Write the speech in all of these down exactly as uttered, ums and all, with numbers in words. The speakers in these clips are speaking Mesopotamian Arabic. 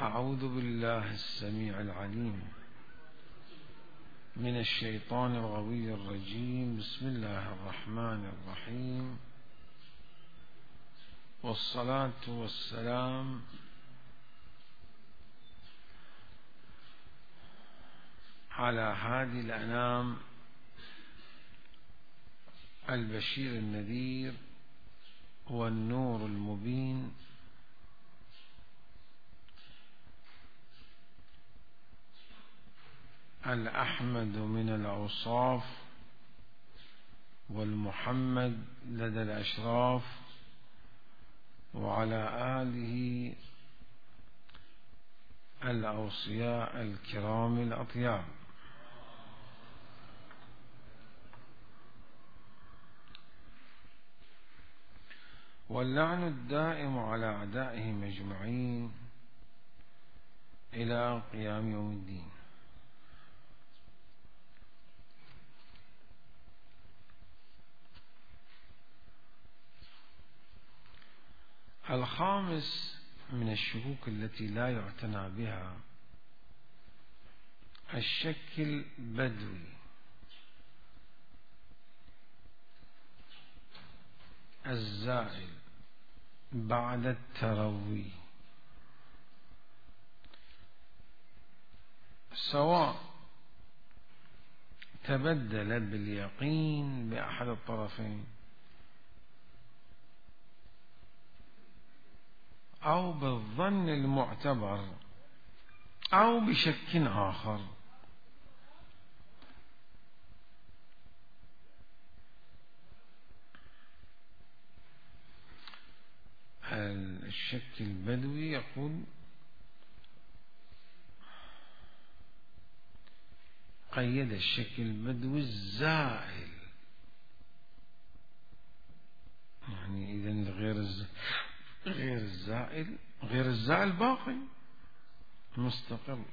أعوذ بالله السميع العليم من الشيطان الغوي الرجيم. بسم الله الرحمن الرحيم، والصلاة والسلام على هادي الأنام البشير النذير والنور المبين، الأحمد من الأوصاف والمحمد لدى الأشراف، وعلى آله الأوصياء الكرام الأطياب. واللعن الدائم على أعدائهم أجمعين إلى قيام يوم الدين. الخامس من الشكوك التي لا يعتنى بها الشك البدوي الزائل بعد التروي، سواء تبدل باليقين بأحد الطرفين أو بالظن المعتبر أو بشك آخر. الشك البدوي يقول قيد الشك البدوي الزائل، يعني إذن غير غير الزائل غير الزائل باقي مستقر،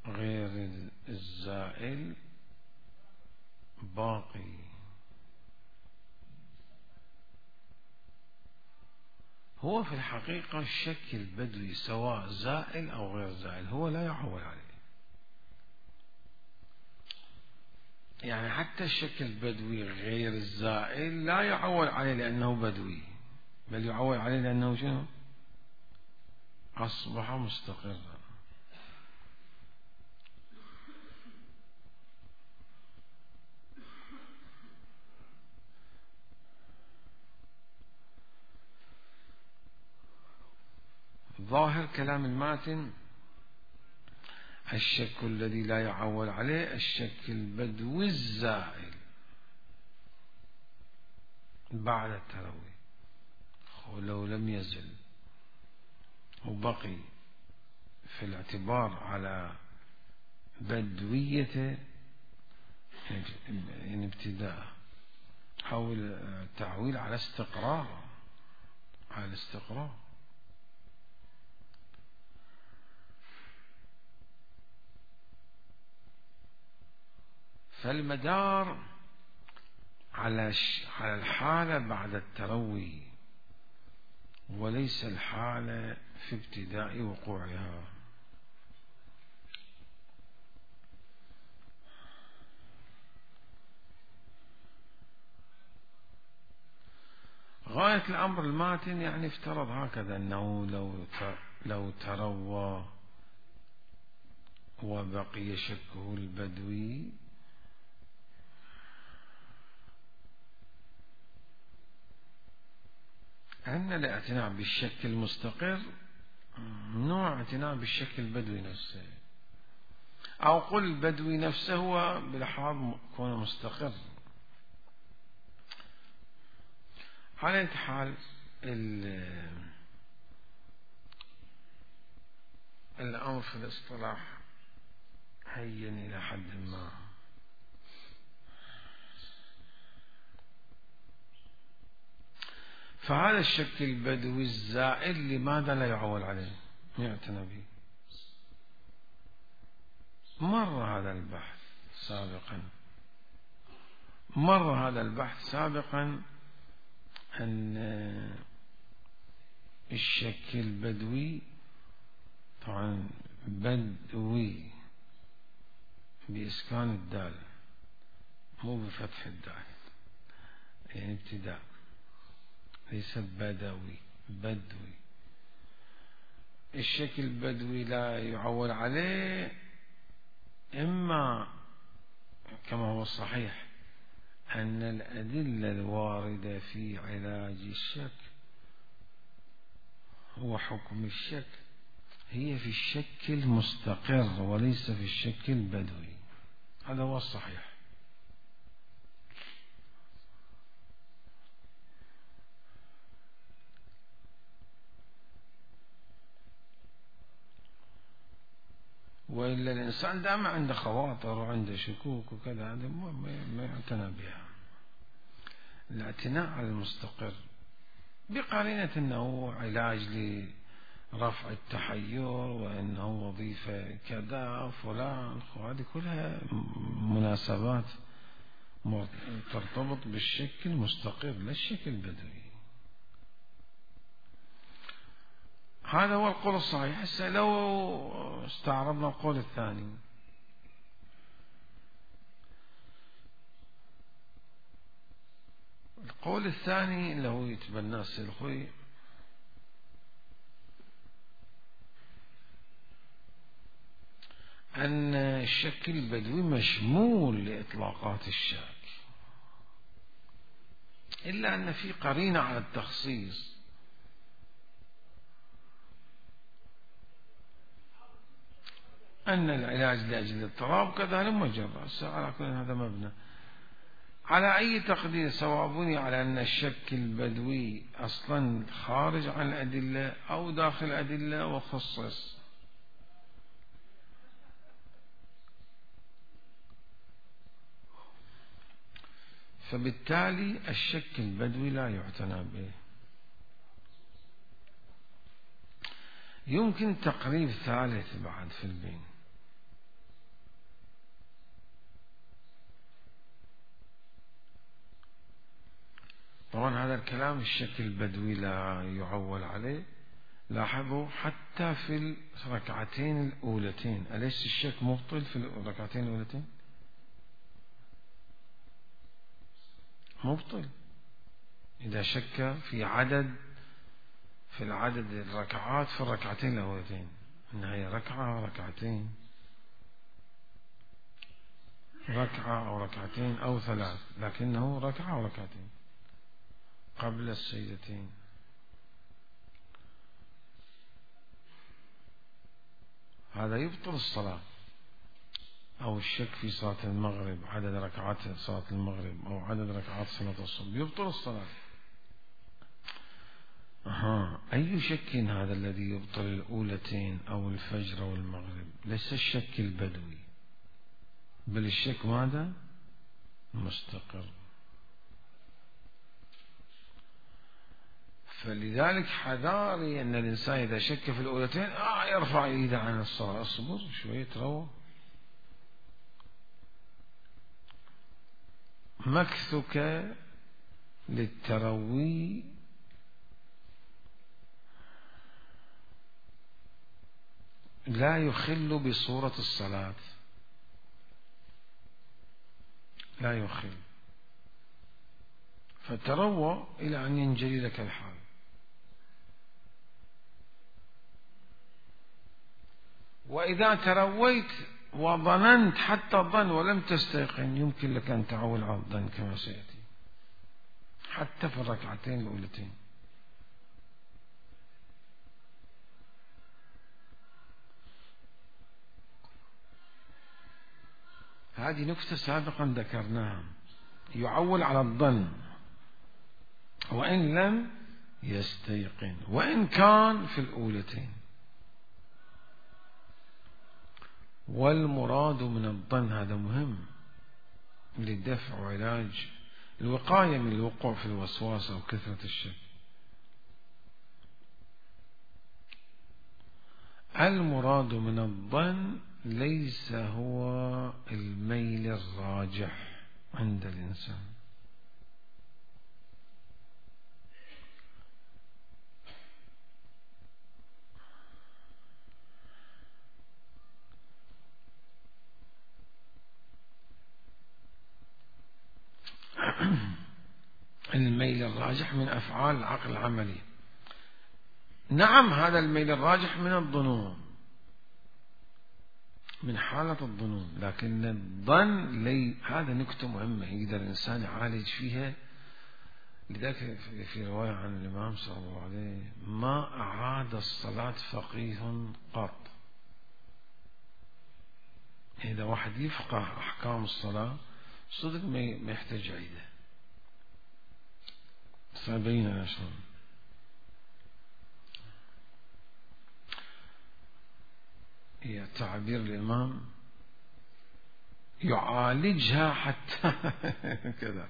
غير الزائل باقي. هو في الحقيقة الشك البدوي سواء زائل أو غير زائل هو لا يعول عليه، يعني حتى الشك البدوي غير الزائل لا يعول عليه لأنه بدوي، بل يعول عليه لأنه شنو؟ أصبح مستقرا. ظاهر كلام الماتن الشك الذي لا يعول عليه الشك البدوي الزائل بعد التروي، ولو لم يزل وبقي في الاعتبار على بدويته يعني ابتداء أو التعويل على استقرار على الاستقرار. فالمدار على على الحالة بعد التروي وليس الحالة في ابتداء وقوعها. غاية الأمر الماتن يعني افترض هكذا أنه لو لو تروى وبقي شكه البدوي أن الاعتناء بالشك المستقر نوع اعتناء بالشك البدوي نفسه، أو قل البدوي نفسه هو بلحاظ كونه مستقر. على أي حال الأمر في الاصطلاح هين إلى حد ما. فهذا الشك البدوي الزائل لماذا لا يعول عليه يعتنى به؟ مر هذا البحث سابقا مر هذا البحث سابقا أن الشك البدوي طبعا بدوي بإسكان الدال مو بفتح الدال، يعني ابتداء، ليس بدوي، بدوي. الشكل البدوي لا يعول عليه، إما كما هو الصحيح أن الأدلة الواردة في علاج الشك هو حكم الشك هي في الشك المستقر وليس في الشك البدوي، هذا هو الصحيح. وإلا الإنسان دائما عنده خواطر وعنده شكوك وكذا، هذا ما يعتنى بها. الاعتناء على المستقر بقرينة أنه علاج لرفع التحير وأنه وظيفة كذا فلان، وهذه كلها مناسبات ترتبط بالشكل المستقر لا الشكل البدوي. هذا هو القول الصحيح. هسه لو استعرضنا القول الثاني، القول الثاني اللي هو يتبناه السلخوي أن الشك البدوي مشمول لإطلاقات الشك، إلا أن في قرينة على التخصيص، أن العلاج لأجل الاضطراب كذلك مجرد. على كل هذا مبنى على أي تقدير، سواء بني على أن الشك البدوي أصلا خارج عن الأدلة أو داخل الأدلة وخصص، فبالتالي الشك البدوي لا يعتنى به. يمكن تقريب ثالث بعد في البين، طبعا هذا الكلام الشك البدوي لا يعول عليه. لاحظوا حتى في الركعتين الأولتين، أليس الشك مبطل في الركعتين الأولتين؟ مبطل إذا شك في عدد في العدد الركعات في الركعتين الأولتين، إنها هي ركعة ركعتين، ركعة أو ركعتين أو ثلاث، لكنه ركعة أو ركعتين قبل السجدتين. هذا يبطل الصلاة. أو الشك في صلاة المغرب، عدد ركعات صلاة المغرب أو عدد ركعات صلاة الصبح، يبطل الصلاة. أها، أي شك هذا الذي يبطل الأولتين أو الفجر والمغرب؟ ليس الشك البدوي، بل الشك ماذا؟ مستقر. فلذلك حذاري أن الإنسان إذا شك في الأولتين آه يرفع يده عن الصلاة. اصبر شوية، روى مكثك للتروي لا يخل بصورة الصلاة، لا يخل، فتروى إلى أن ينجلي لك الحال. وإذا ترويت وظننت حتى الظن ولم تستيقن، يمكن لك أن تعول على الظن كما سيأتي حتى في الركعتين الأولتين. هذه نكتة سابقا ذكرناها، يعول على الظن وإن لم يستيقن وإن كان في الأولتين. والمراد من الظن، هذا مهم لدفع وعلاج الوقاية من الوقوع في الوسواس أو كثرة الشك. المراد من الظن ليس هو الميل الراجح عند الإنسان، الراجح من أفعال العقل العملي. نعم هذا الميل الراجح من الظنون، من حالة الظنون، لكن الظن لي هذا نكتة مهمة يقدر الإنسان يعالج فيها. لذلك في رواية عن الإمام صلى الله عليه ما أعاد الصلاة فقيه قط. إذا واحد يفقه أحكام الصلاة صدق ما يحتاج عيده. سأبين أنا شلون. هي تعبير الإمام يعالجها حتى كذا.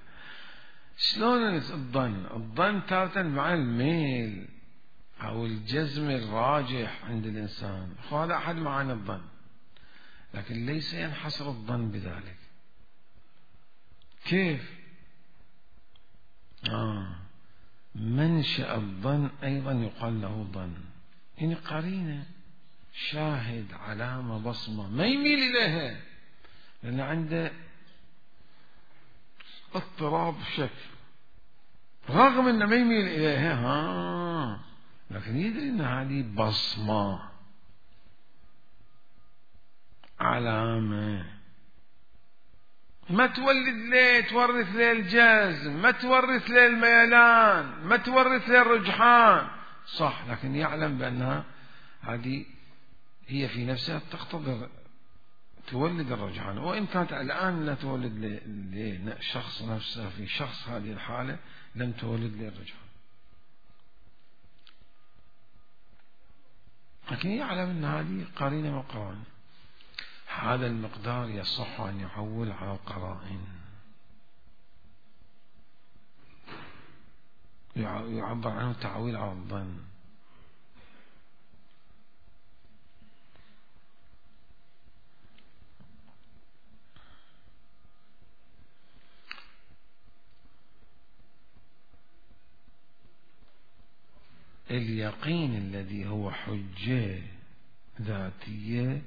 شلون الظن؟ الظن تارة مع الميل أو الجزم الراجح عند الإنسان، هذا أحد معاني الظن، لكن ليس ينحصر الظن بذلك. كيف؟ آه منشأ الظن أيضا يقال له ظن، يعني قرينة، شاهد، علامة، بصمة، ما يميل إليها لأن عنده اضطراب شك، رغم أنه ما يميل إليها ها لكن يدري أن هذه بصمة، علامة، ما تولد ليه تورث ليه الجزم، ما تورث ليه الميلان، ما تورث ليه الرجحان، صح، لكن يعلم بأنها هذه هي في نفسها تقتضي تولد الرجحان، وإن كانت الآن لا تولد لشخص نفسه في شخص هذه الحالة لم تولد له الرجحان، لكن يعلم أن هذه قرينة وقرائن. هذا المقدار يصح أن يعول على القرائن، يعبر عنه تعويل على الظن. اليقين الذي هو حجة ذاتية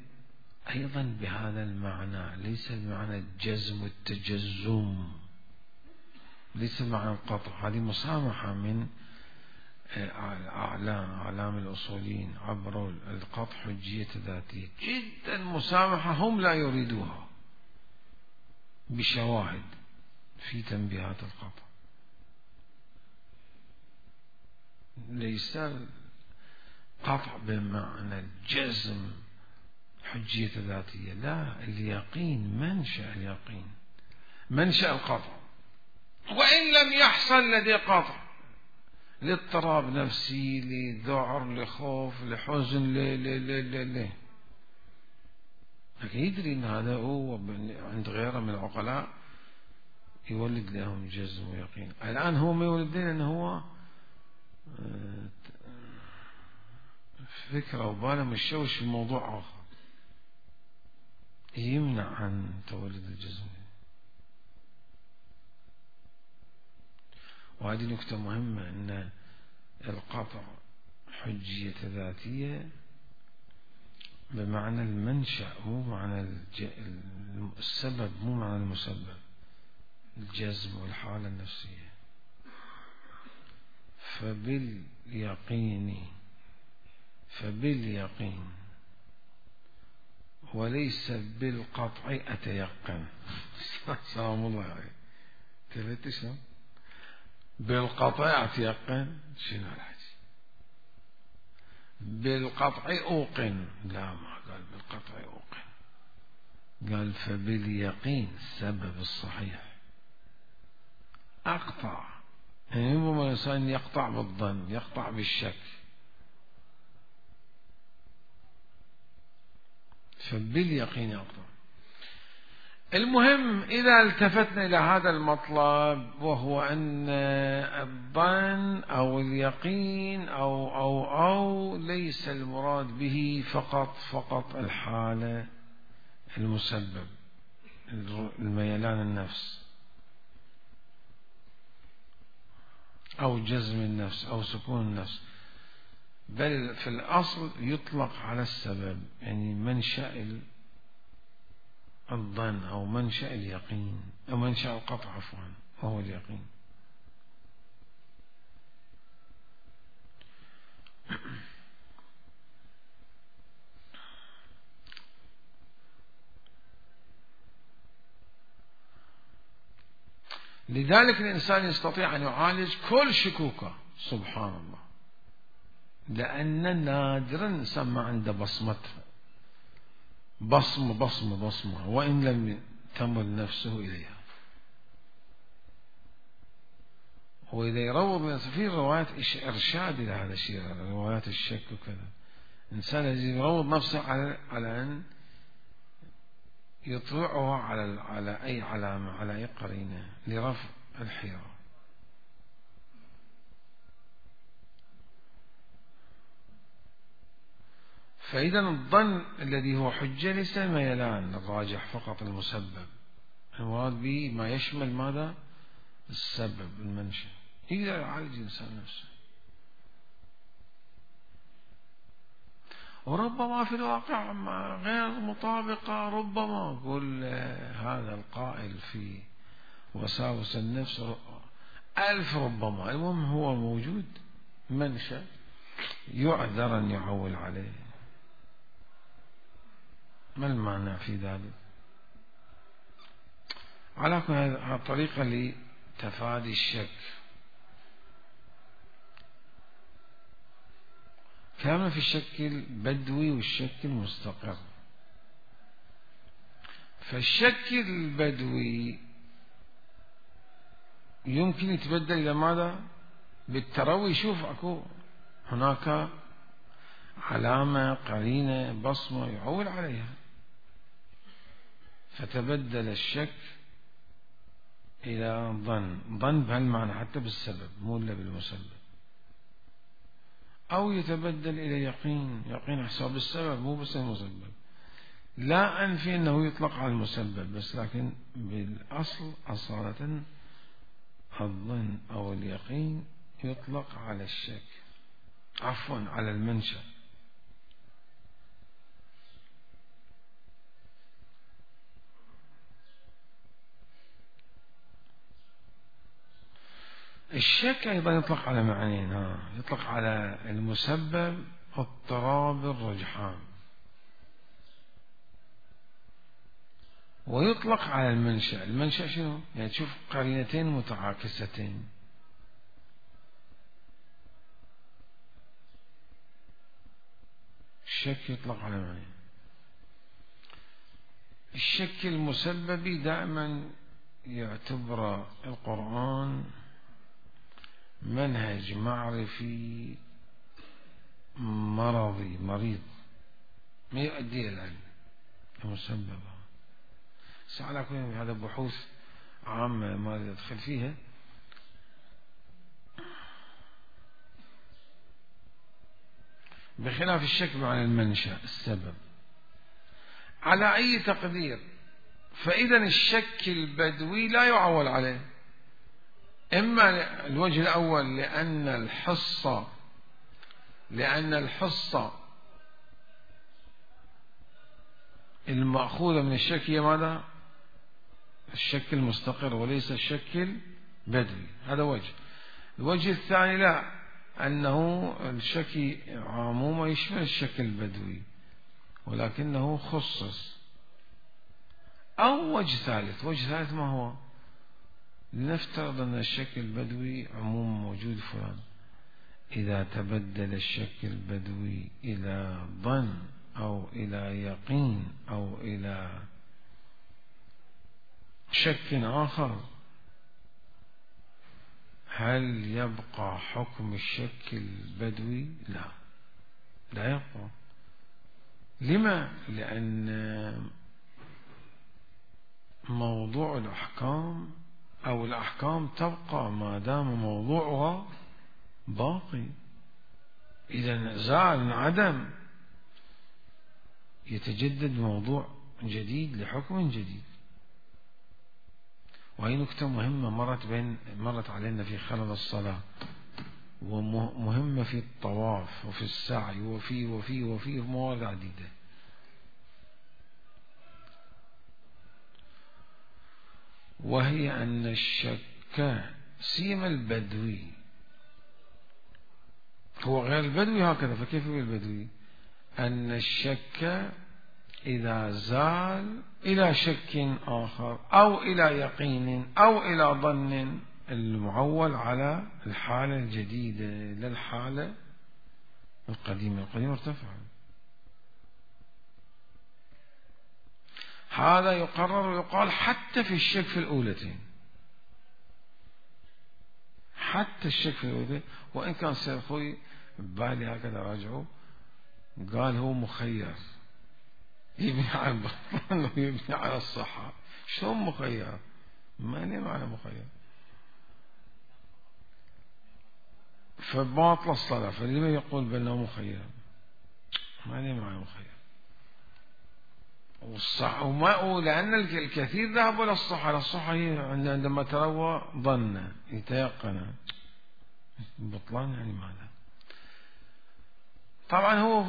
أيضا بهذا المعنى، ليس بمعنى الجزم والتجزم، ليس معنى القطع. هذه مسامحة من أعلام أعلام الأصوليين عبروا القطع حجية ذاتية جدا مسامحة، هم لا يريدوها بشواهد في تنبيهات القطع. ليس قطع بمعنى الجزم حجية ذاتية، لا، اليقين منشأ اليقين، منشأ القطع، وإن لم يحصل لدي قطع لاضطراب نفسي، لذعر، لخوف، لحزن، ل ل ل ل ل لكن يدري أن هذا هو عند غيره من العقلاء يولد لهم جزم ويقين. الآن هو ما يولد لنا أنه هو فكرة وباله مشوش في موضوع آخر يمنع عن تولد الجزم. وهذه نكتة مهمة، أن القطع حجية ذاتية بمعنى المنشأ، مو معنى السبب، مو معنى المسبب، الجزم والحالة النفسية. فباليقين فباليقين وليس بالقطع أتيقن. سلام الله عليك. تلت شلون؟ بالقطع أتيقن، شنو الحكي؟ بالقطع أوقن، لا، ما قال بالقطع أوقن، قال فباليقين السبب الصحيح أقطع. يعني ربما الإنسان يقطع بالظن، يقطع بالشك، فباليقين يقطع. المهم إذا التفتنا إلى هذا المطلب، وهو أن الظن أو اليقين أو أو أو ليس المراد به فقط فقط الحالة المسبب، الميلان النفس أو جزم النفس أو سكون النفس، بل في الأصل يطلق على السبب، يعني منشأ الظن أو منشأ اليقين أو منشأ القطع عفوا وهو اليقين. لذلك الإنسان يستطيع أن يعالج كل شكوكه، سبحان الله، لأن نادرا الإنسان ما عنده بصمته، بصمة بصمة بصمة وإن لم تمل نفسه إليها. وإذا يروض في روايات إرشاد إلى هذا الشيء، روايات الشك وكذا، إنسان يروض نفسه على على أن يطلعه على على أي علامة، على أي قرينة لرفع الحيرة. فإذا الظن الذي هو حجة ليس الميلان الراجح فقط المسبب، المراد به ما يشمل ماذا؟ السبب، المنشأ، يقدر يعالج الإنسان نفسه. وربما في الواقع غير مطابقة، ربما يقول هذا القائل في وساوس النفس ألف ربما، المهم هو موجود منشأ يعذر أن يعول عليه. ما المعنى في ذلك؟ على كل هذه طريقة لتفادي الشك. كلامنا في الشك البدوي والشك المستقر. فالشك البدوي يمكن يتبدل إلى ماذا؟ بالتروي. شوف أكو هناك علامة، قرينة، بصمة يعول عليها، فتبدل الشك إلى ظن، ظن بهالمعنى حتى بالسبب مو إلا بالمسبب، أو يتبدل إلى يقين، يقين حساب السبب مو بس المسبب. لا أنفي أنه يطلق على المسبب بس، لكن بالأصل أصالة الظن أو اليقين يطلق على الشك، عفوا على المنشأ. الشك أيضا يطلق على معنيين، ها يطلق على المسبب اضطراب الرجحان، ويطلق على المنشأ. المنشأ شنو؟ يعني تشوف قرينتين متعاكستين. الشك يطلق على معنيين. الشك المسببي دائما يعتبر القرآن منهج معرفي مرضي مريض ما يؤدي إلى العلم المسبب. على كل هذا بحوث عامة ما يدخل فيها. بخلاف الشك عن المنشأ السبب على أي تقدير. فإذا الشك البدوي لا يعول عليه، إما الوجه الأول لأن الحصة لأن الحصة المأخوذة من الشك هي ماذا؟ الشك المستقر وليس الشك البدوي، هذا وجه. الوجه الثاني لا، أنه الشك عموما يشمل الشك البدوي ولكنه خصص. أو وجه ثالث، وجه ثالث ما هو؟ لنفترض أن الشك البدوي عموما موجود فلان، إذا تبدل الشك البدوي إلى ظن أو إلى يقين أو إلى شك آخر، هل يبقى حكم الشك البدوي؟ لا، لا يبقى. لما؟ لأن موضوع الأحكام أو الأحكام تبقى ما دام موضوعها باقي. إذا زال انعدم يتجدد موضوع جديد لحكم جديد. وهي نكتة مهمة مرت بين مرت علينا في خلل الصلاة، ومهمة في الطواف وفي السعي وفي وفي وفي مواضع عديدة. وهي أن الشك سيما البدوي هو غير البدوي هكذا. فكيف هو البدوي؟ أن الشك إذا زال إلى شك آخر أو إلى يقين أو إلى ظن، المعول على الحالة الجديدة للحالة القديمة. القديمة ارتفع. هذا يقرر ويقال حتى في الشك في الأولتين، حتى الشك في الأولتين. وإن كان سيد خوي ببالي هكذا راجعوا قال هو مخير، يبني على البطلان ويبني على الصحة. شلون مخير؟ ما لي معنى مخير. فباطل الصلاة، فلما يقول بأنه مخير؟ ما لي معنى مخير. والصح وما لأن الكثير ذهبوا إلى الصحة. الصحة هي عندما تروى ظن يتيقن. بطلان يعني ماذا؟ طبعا هو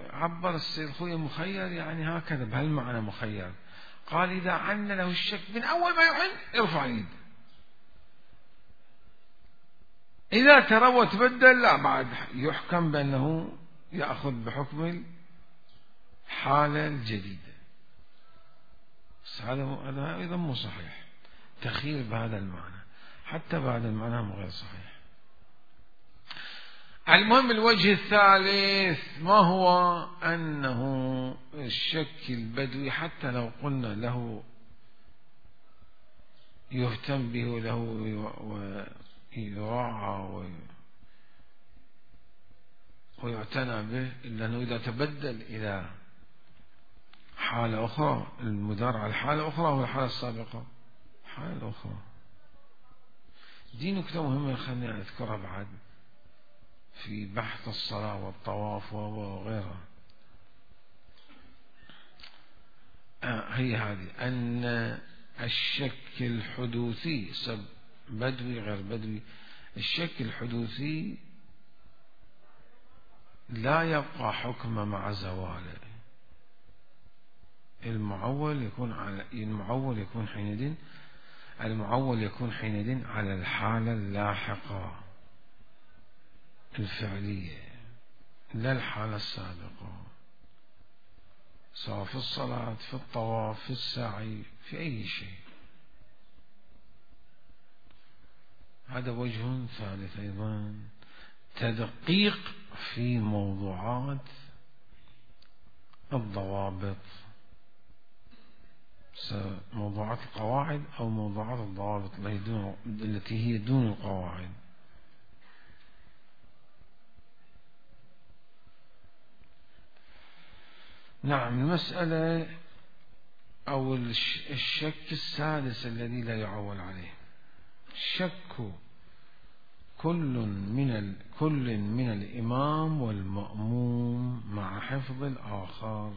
عبر السيد خوي مخير يعني هكذا بهالمعنى مخير. قال إذا عن له الشك من أول ما يحن يرفع يد، إذا ترى وتبدل لا بعد يحكم بأنه يأخذ بحكم الحالة الجديدة. هذا هذا أيضا مو صحيح، تخيل بهذا المعنى، حتى بهذا المعنى غير صحيح. المهم الوجه الثالث ما هو؟ أنه الشك البدوي حتى لو قلنا له يهتم به وله ويراعى ويعتنى به، إلا أنه إذا تبدل إلى حالة أخرى، المدار على الحالة الأخرى والحالة السابقة حالة الأخرى. دي نكتة مهمة خليني أذكرها بعد في بحث الصلاة والطواف وغيرها. آه هي هذه أن الشك الحدوثي سب بدوي غير بدوي، الشك الحدوثي لا يبقى حكم مع زواله. المعول يكون على المعول يكون حينئذ المعول يكون حينئذ على الحالة اللاحقة الفعلية لا الحالة السابقة، سواء في الصلاة في الطواف في السعي في أي شيء. هذا وجه ثالث أيضا، تدقيق في موضوعات الضوابط، موضوعات القواعد أو موضوعات الضوابط التي هي دون القواعد. نعم. المسألة أو الشك السادس الذي لا يعول عليه، شك كل من ال... كل من الإمام والمأموم مع حفظ الآخر.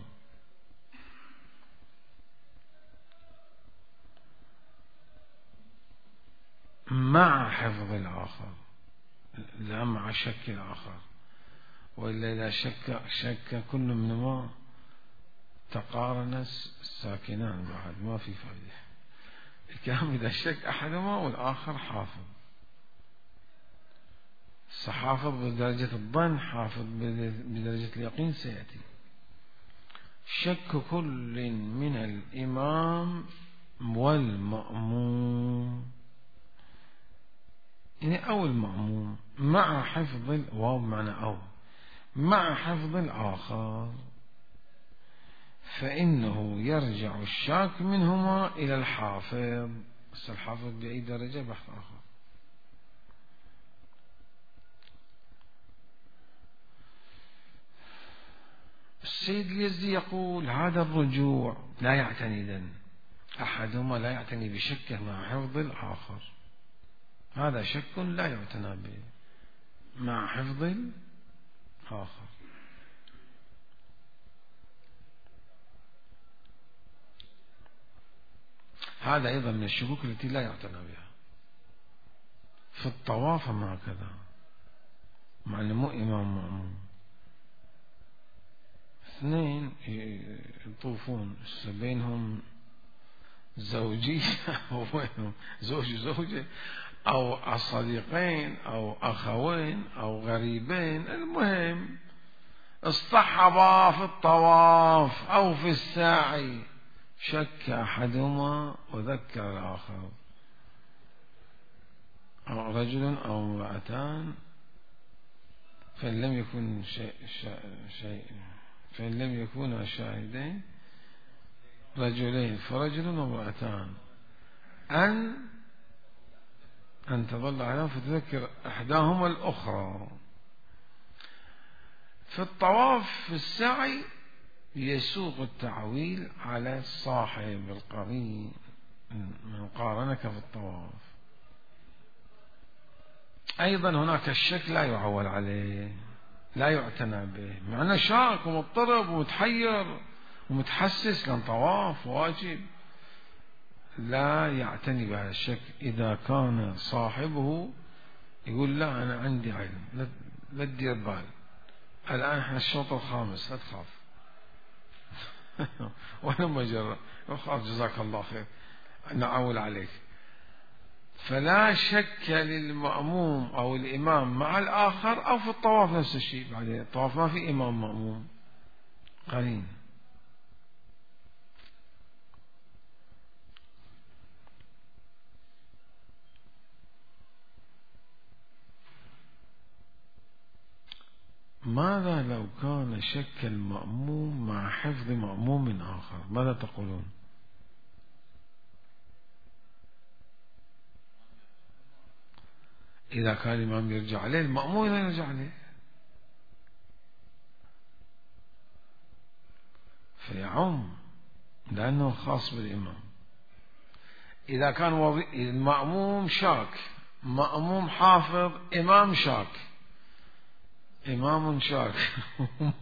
مع حفظ الآخر لا مع شك الآخر، وإلا إذا شك شك كل منهما تقارن الساكنان بعد ما في فائدة. الكلام إذا شك أحدهما والآخر حافظ، حافظ بدرجة الظن، حافظ بدرجة اليقين سيأتي. شك كل من الإمام والمأموم يعني أو المأموم مع حفظ الواو معنى أو مع حفظ الآخر، فإنه يرجع الشاك منهما إلى الحافظ. بس الحافظ بأي درجة بحث آخر. السيد اليزدي يقول هذا الرجوع لا يعتني إذن أحدهما لا يعتني بشكه مع حفظ الآخر، هذا شك لا يعتنى به مع حفظ الآخر. هذا أيضا من الشكوك التي لا يعتنى بها. في الطواف ما هكذا، مع أنه مو إمام مأموم، اثنين يطوفون بينهم زوجية أو بينهم زوج وزوجة أو صديقين أو أخوين أو غريبين، المهم اصطحبا في الطواف أو في السعي، شك أحدهما وذكر الآخر، أو رجل أو امرأتان، فإن لم يكن شيء, شيء فإن لم يكونا شاهدين رجلين فرجل وامرأتان، أن أن تظل عليهم فتذكر إحداهما الأخرى. في الطواف في السعي يسوق التعويل على الصاحب القرين من قارنك في الطواف. أيضا هناك الشك لا يعول عليه، لا يعتنى به، مع أنه شاك ومضطرب ومتحير ومتحسس، لأن طواف واجب، لا يعتني بهذا الشك. إذا كان صاحبه يقول لا أنا عندي علم، لا تدير بال، الآن احنا الشوط الخامس لا تخاف وانا مجرد اخاف، جزاك الله خير نعول عليك. فلا شك للمأموم أو الإمام مع الآخر، أو في الطواف نفس الشيء. بعدين الطواف ما في إمام مأموم، قرين. ماذا لو كان شك المأموم مع حفظ مأموم آخر؟ ماذا تقولون؟ إذا كان الإمام يرجع عليه، المأموم لا يرجع عليه، فيعم لأنه خاص بالإمام. إذا كان وضي... المأموم شاك، مأموم حافظ، إمام شاك، إمام شاك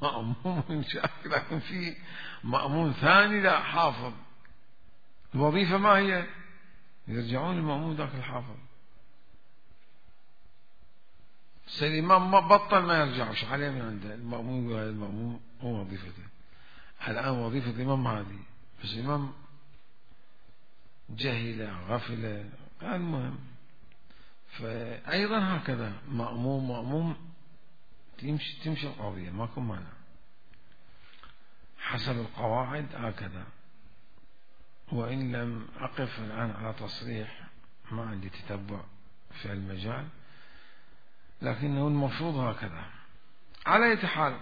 مأموم شاك، لكن في مأموم ثاني لا حافظ، الوظيفة ما هي؟ يرجعون المأموم ذاك الحافظ. الإمام ما بطل ما يرجع، وش عليه من عنده؟ المأموم يقول المأموم هو وظيفته. الآن وظيفة الإمام هذه، بس الإمام جهل غفل، المهم. فأيضا هكذا مأموم مأموم تمشي تمشي القضية، ماكو مانع، حسب القواعد هكذا. وإن لم أقف الآن على تصريح، ما عندي تتبع في المجال، لكنه المفروض هكذا. على أي حال،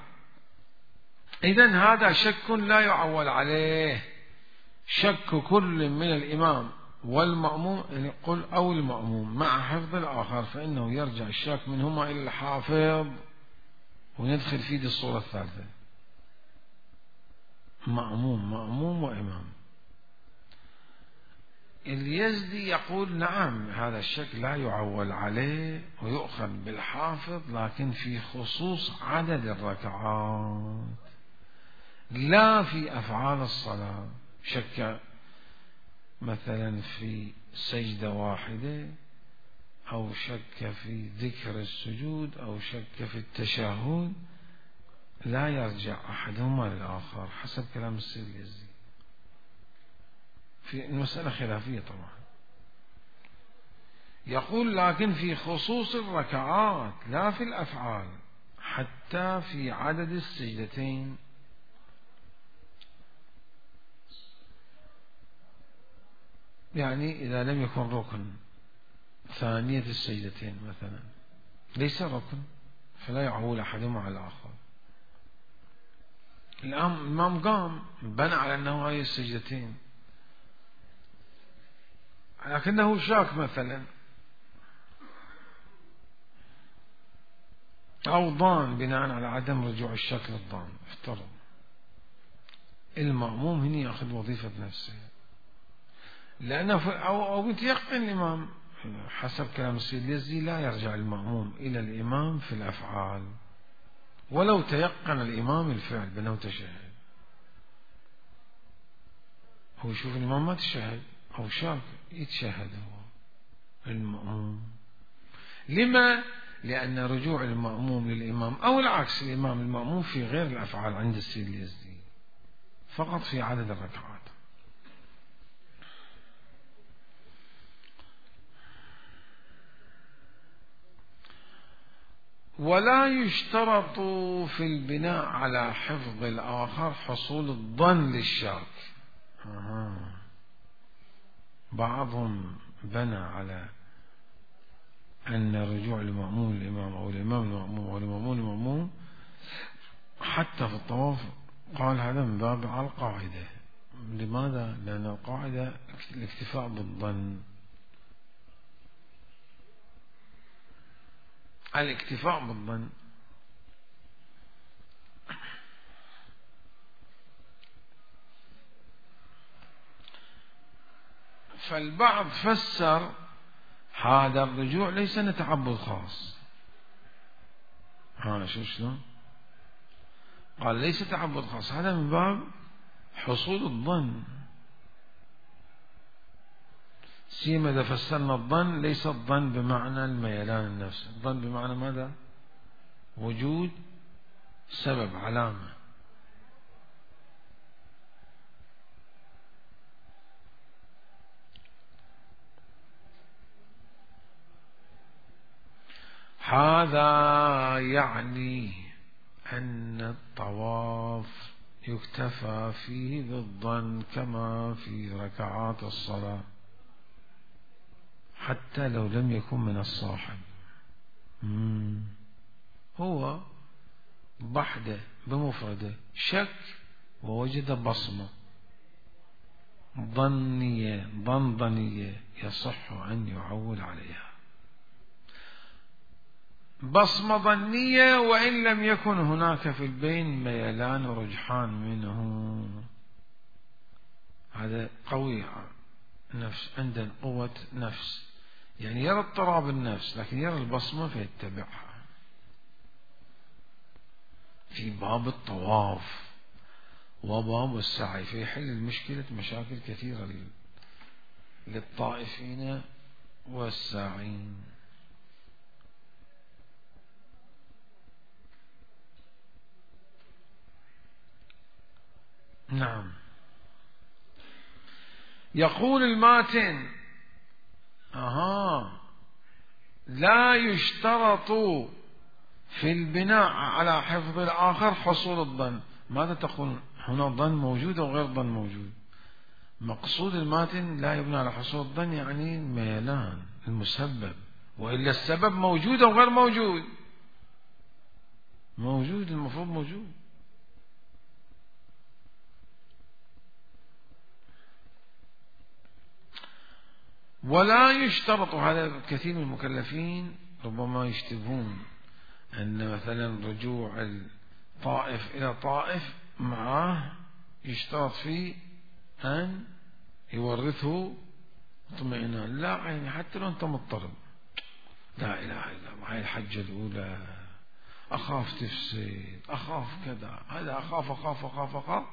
إذن هذا شك لا يعول عليه، شك كل من الإمام والمأموم، يعني قل أو المأموم مع حفظ الآخر، فإنه يرجع الشاك منهما إلى الحافظ، وندخل في دي الصورة الثالثة، مأموم مأموم وإمام. اليزدي يقول نعم هذا الشك لا يعول عليه ويؤخذ بالحافظ، لكن في خصوص عدد الركعات، لا في أفعال الصلاة. شك مثلا في سجدة واحدة، أو شك في ذكر السجود، أو شك في التشهد، لا يرجع أحدهما للآخر حسب كلام السيد اليزدي. في المسألة خلافية طبعا. يقول لكن في خصوص الركعات لا في الأفعال، حتى في عدد السجدتين. يعني إذا لم يكن ركن ثانية السجدتين مثلا ليس ركن، فلا يعول أحدهما على الآخر. الإمام قام بنى على أنه هاي السجدتين، لكنه شاك مثلا، أو ضان بناء على عدم رجوع الشك للضان، افترض المأموم هنا يأخذ وظيفة نفسه، لأنه أو أو متيقن الإمام حسب كلام السيد اليزدي لا يرجع المأموم إلى الإمام في الأفعال، ولو تيقن الإمام الفعل بأنه تشهد. هو يشوف الإمام ما تشهد أو شاك، يتشهد هو المأموم. لما؟ لأن رجوع المأموم للإمام، أو العكس، الإمام المأموم في غير الأفعال عند السيد اليزدي، فقط في عدد الركعات. ولا يشترط في البناء على حفظ الآخر حصول الظن للشاك. آه. بعضهم بنى على أن الرجوع لمأمون الإمام أو الإمام المأموم أو المأمون المأموم حتى في الطواف، قال هذا من باب على القاعدة. لماذا؟ لأن القاعدة الاكتفاء بالظن، الاكتفاء بالظن. فالبعض فسر هذا الرجوع ليس تعبد خاص. ها شو شلون؟ قال ليس تعبد خاص، هذا من باب حصول الظن. سيما إذا فسرنا الظن ليس الظن بمعنى الميلان النفس، الظن بمعنى ماذا؟ وجود سبب، علامة. هذا يعني أن الطواف يكتفى فيه بالظن كما في ركعات الصلاة حتى لو لم يكن من الصاحب. مم. هو بحده بمفرده شك ووجد بصمة ظنية ظنظنية يصح أن يعول عليها، بصمة ظنية وإن لم يكن هناك في البين ميلان ورجحان منه. هذا قوي نفس، عنده قوة نفس، يعني يرى اضطراب النفس لكن يرى البصمة فيتبعها. في باب الطواف وباب السعي فيحل المشكلة مشاكل كثيرة للطائفين والساعين. نعم. يقول الماتن أها لا يشترط في البناء على حفظ الآخر حصول الظن. ماذا تقول هنا؟ ظن موجود أو غير ظن موجود؟ مقصود الماتن لا يبنى على حصول الظن يعني الميلان المسبب، وإلا السبب موجود أو غير موجود؟ موجود، المفروض موجود. ولا يشترط، هذا كثير من المكلفين ربما يشتبهون أن مثلا رجوع الطائف إلى طائف معه يشترط فيه أن يورثه اطمئنان. لا، يعني حتى لو أنت مضطرب، لا إله إلا الله، هاي الحجة الأولى أخاف تفسد، أخاف كذا، هذا أخاف أخاف أخاف أخاف،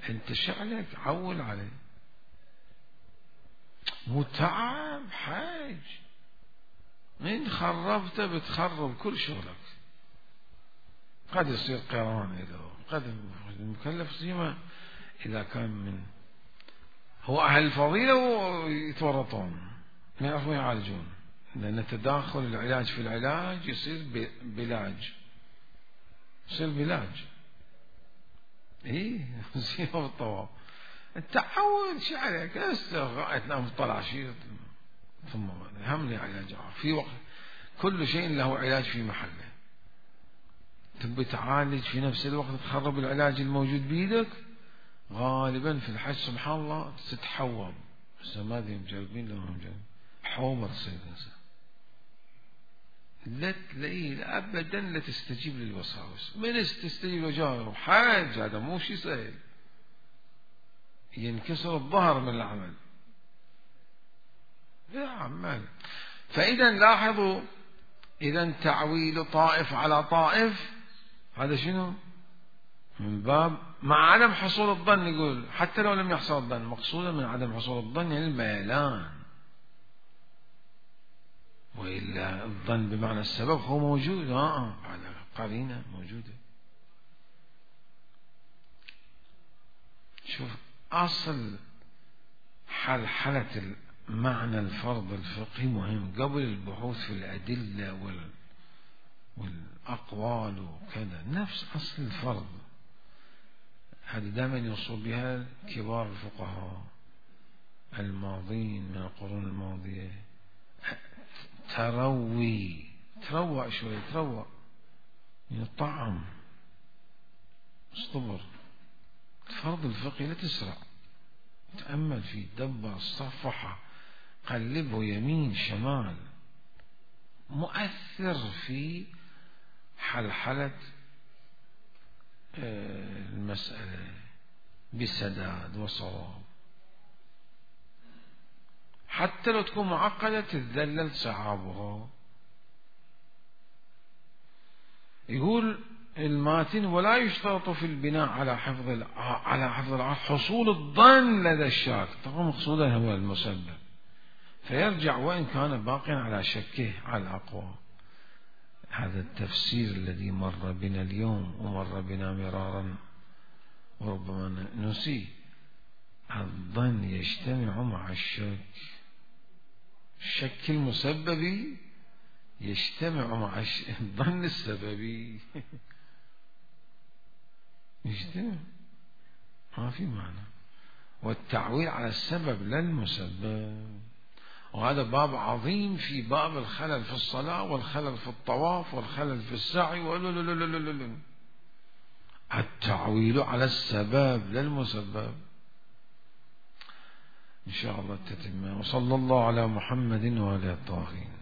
أنت شعلك عول عليه، متعب حاج، من خربته بتخرب كل شغلك. قد يصير قران إذا قد المكلف سيما إذا كان من هو أهل الفضيلة ويتورطون ما يعرفون يعالجون، لأن تداخل العلاج في العلاج يصير بلاج، يصير بلاج. إيه يصير بالطواف التعود شو عليك؟ غاية تنام تطلع شيء ثم هم لي علاج في وقت، كل شيء له علاج في محله. تبي تعالج في نفس الوقت تخرب العلاج الموجود بيدك، غالبا في الحج سبحان الله تتحوم، بس ما ادري مجربين لو هم مجربين حومة تصير الإنسان، لا تلاقيه أبدا لا تستجيب للوساوس. من تستجيب وجاهه حاج، هذا مو شيء سهل، ينكسر الظهر من العمل يا عمال. فإذا لاحظوا، إذا تعويل طائف على طائف هذا شنو؟ من باب مع عدم حصول الظن، يقول حتى لو لم يحصل الظن، مقصودا من عدم حصول الظن يعني الميلان، وإلا الظن بمعنى السبب هو موجود، اه على قرينة موجودة. شوف أصل حلحلة معنى الفرض الفقهي مهم قبل البحوث في الأدلة وال... وال... أقوال وكذا نفس أصل الفرض. هذا دائما يوصل بها كبار الفقهاء الماضين من القرون الماضية. تروي تروق شوي، تروق من الطعم، اصطبر. الفرض الفقهي لا تسرع، تأمل فيه، دبر، صفحة، قلبه يمين شمال، مؤثر في حلحلة المسألة بسداد وصواب. حتى لو تكون معقدة تتذلل صعابها. يقول الماتن: ولا يشترط في البناء على حفظ على حفظ العقل حصول الظن لدى الشاك. طبعا مقصودا هو المسبب، فيرجع وإن كان باقيا على شكه على الأقوى. هذا التفسير الذي مر بنا اليوم ومر بنا مرارا وربما نسي. الظن يجتمع مع الشك، الشك المسببي يجتمع مع الظن السببي يجتمع، ما في معنى. والتعويل على السبب لا المسبب. وهذا باب عظيم في باب الخلل في الصلاة والخلل في الطواف والخلل في السعي. التعويل على السبب لا المسبب. إن شاء الله تتم. وصلى الله على محمد وعلى الطاهرين.